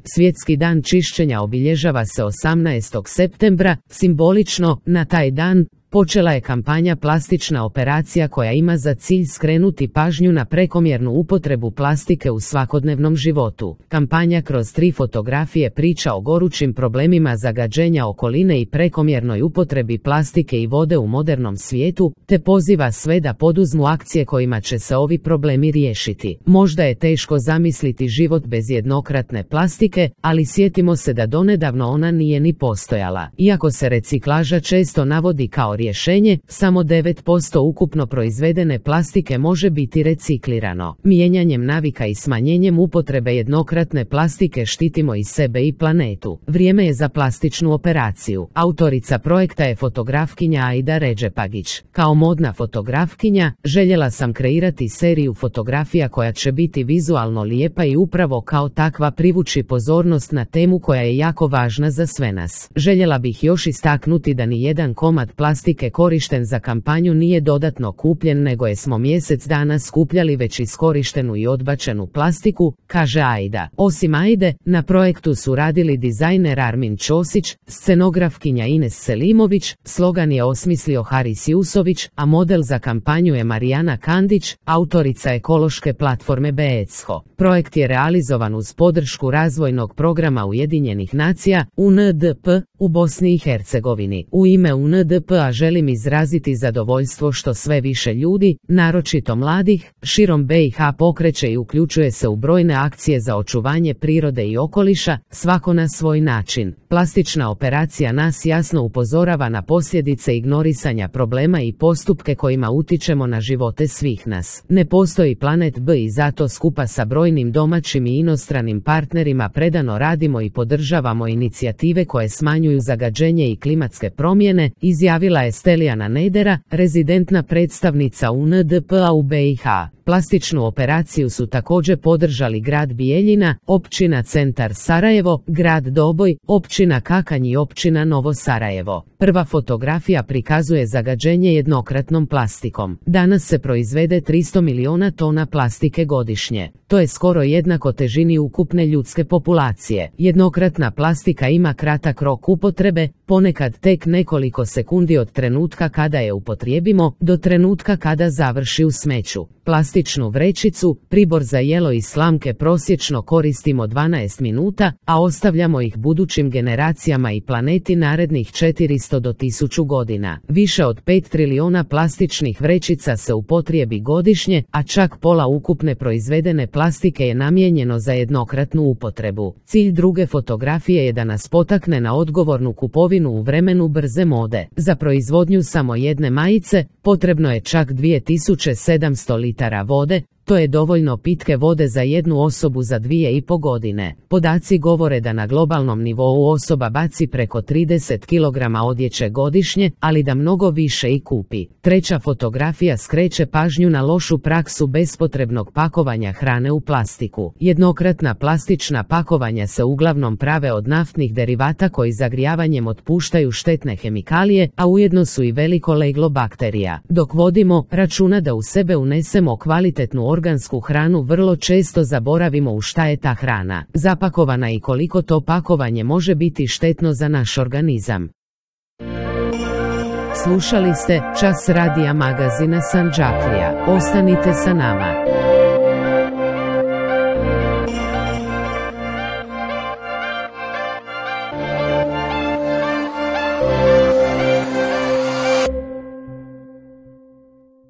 Svjetski dan čišćenja obilježava se 18. septembra, simbolično, na taj dan počela je kampanja Plastična operacija koja ima za cilj skrenuti pažnju na prekomjernu upotrebu plastike u svakodnevnom životu. Kampanja kroz 3 fotografije priča o gorućim problemima zagađenja okoline i prekomjernoj upotrebi plastike i vode u modernom svijetu, te poziva sve da poduzmu akcije kojima će se ovi problemi riješiti. Možda je teško zamisliti život bez jednokratne plastike, ali sjetimo se da donedavno ona nije ni postojala. Iako se reciklaža često navodi kao rješenje, samo 9% ukupno proizvedene plastike može biti reciklirano. Mijenjanjem navika i smanjenjem upotrebe jednokratne plastike štitimo i sebe i planetu. Vrijeme je za plastičnu operaciju. Autorica projekta je fotografkinja Aida Redžepagić. Kao modna fotografkinja, željela sam kreirati seriju fotografija koja će biti vizualno lijepa i upravo kao takva privući pozornost na temu koja je jako važna za sve nas. Željela bih još istaknuti da ni jedan komad plastike korišten za kampanju nije dodatno kupljen, nego smo mjesec dana skupljali već iskorištenu i odbačenu plastiku, kaže Aida. Osim Aide, na projektu su radili dizajner Armin Ćosić, scenografkinja Ines Selimović, slogan je osmislio Haris Jusović, a model za kampanju je Marijana Kandić, autorica ekološke platforme BECHO. Projekt je realizovan uz podršku razvojnog programa Ujedinjenih nacija, UNDP, u Bosni i Hercegovini. U ime UNDP-a želim izraziti zadovoljstvo što sve više ljudi, naročito mladih, širom BiH pokreće i uključuje se u brojne akcije za očuvanje prirode i okoliša, svako na svoj način. Plastična operacija nas jasno upozorava na posljedice ignorisanja problema i postupke kojima utičemo na živote svih nas. Ne postoji planet B i zato skupa sa brojnim domaćim i inostranim partnerima predano radimo i podržavamo inicijative koje smanjuju zagađenje i klimatske promjene, izjavila je Stelijana Nedera, rezidentna predstavnica UNDP-a u BiH. Plastičnu operaciju su također podržali grad Bijeljina, općina Centar Sarajevo, grad Doboj, općina Kakanj i općina Novo Sarajevo. Prva fotografija prikazuje zagađenje jednokratnom plastikom. Danas se proizvede 300 miliona tona plastike godišnje. To je skoro jednako težini ukupne ljudske populacije. Jednokratna plastika ima kratak rok upotrebe, ponekad tek nekoliko sekundi od trenutka kada je upotrijebimo do trenutka kada završi u smeću. Plastičnu vrećicu, pribor za jelo i slamke prosječno koristimo 12 minuta, a ostavljamo ih budućim generacijama i planeti narednih 400 do 1000 godina. Više od 5 trilijona plastičnih vrećica se upotrijebi godišnje, a čak pola ukupne proizvedene plastike je namijenjeno za jednokratnu upotrebu. Cilj druge fotografije je da nas potakne na odgovornu kupovinu u vremenu brze mode. Za proizvodnju samo jedne majice potrebno je čak 2700 litara vode, to je dovoljno pitke vode za jednu osobu za 2,5 godine. Podaci govore da na globalnom nivou osoba baci preko 30 kg odjeće godišnje, ali da mnogo više i kupi. Treća fotografija skreće pažnju na lošu praksu bespotrebnog pakovanja hrane u plastiku. Jednokratna plastična pakovanja se uglavnom prave od naftnih derivata koji zagrijavanjem otpuštaju štetne hemikalije, a ujedno su i veliko leglo bakterija. Dok vodimo računa da u sebe unesemo kvalitetnu organsku hranu, vrlo često zaboravimo u šta je ta hrana zapakovana i koliko to pakovanje može biti štetno za naš organizam. Slušali ste Čas radija magazina Sandžaklija. Ostanite sa nama.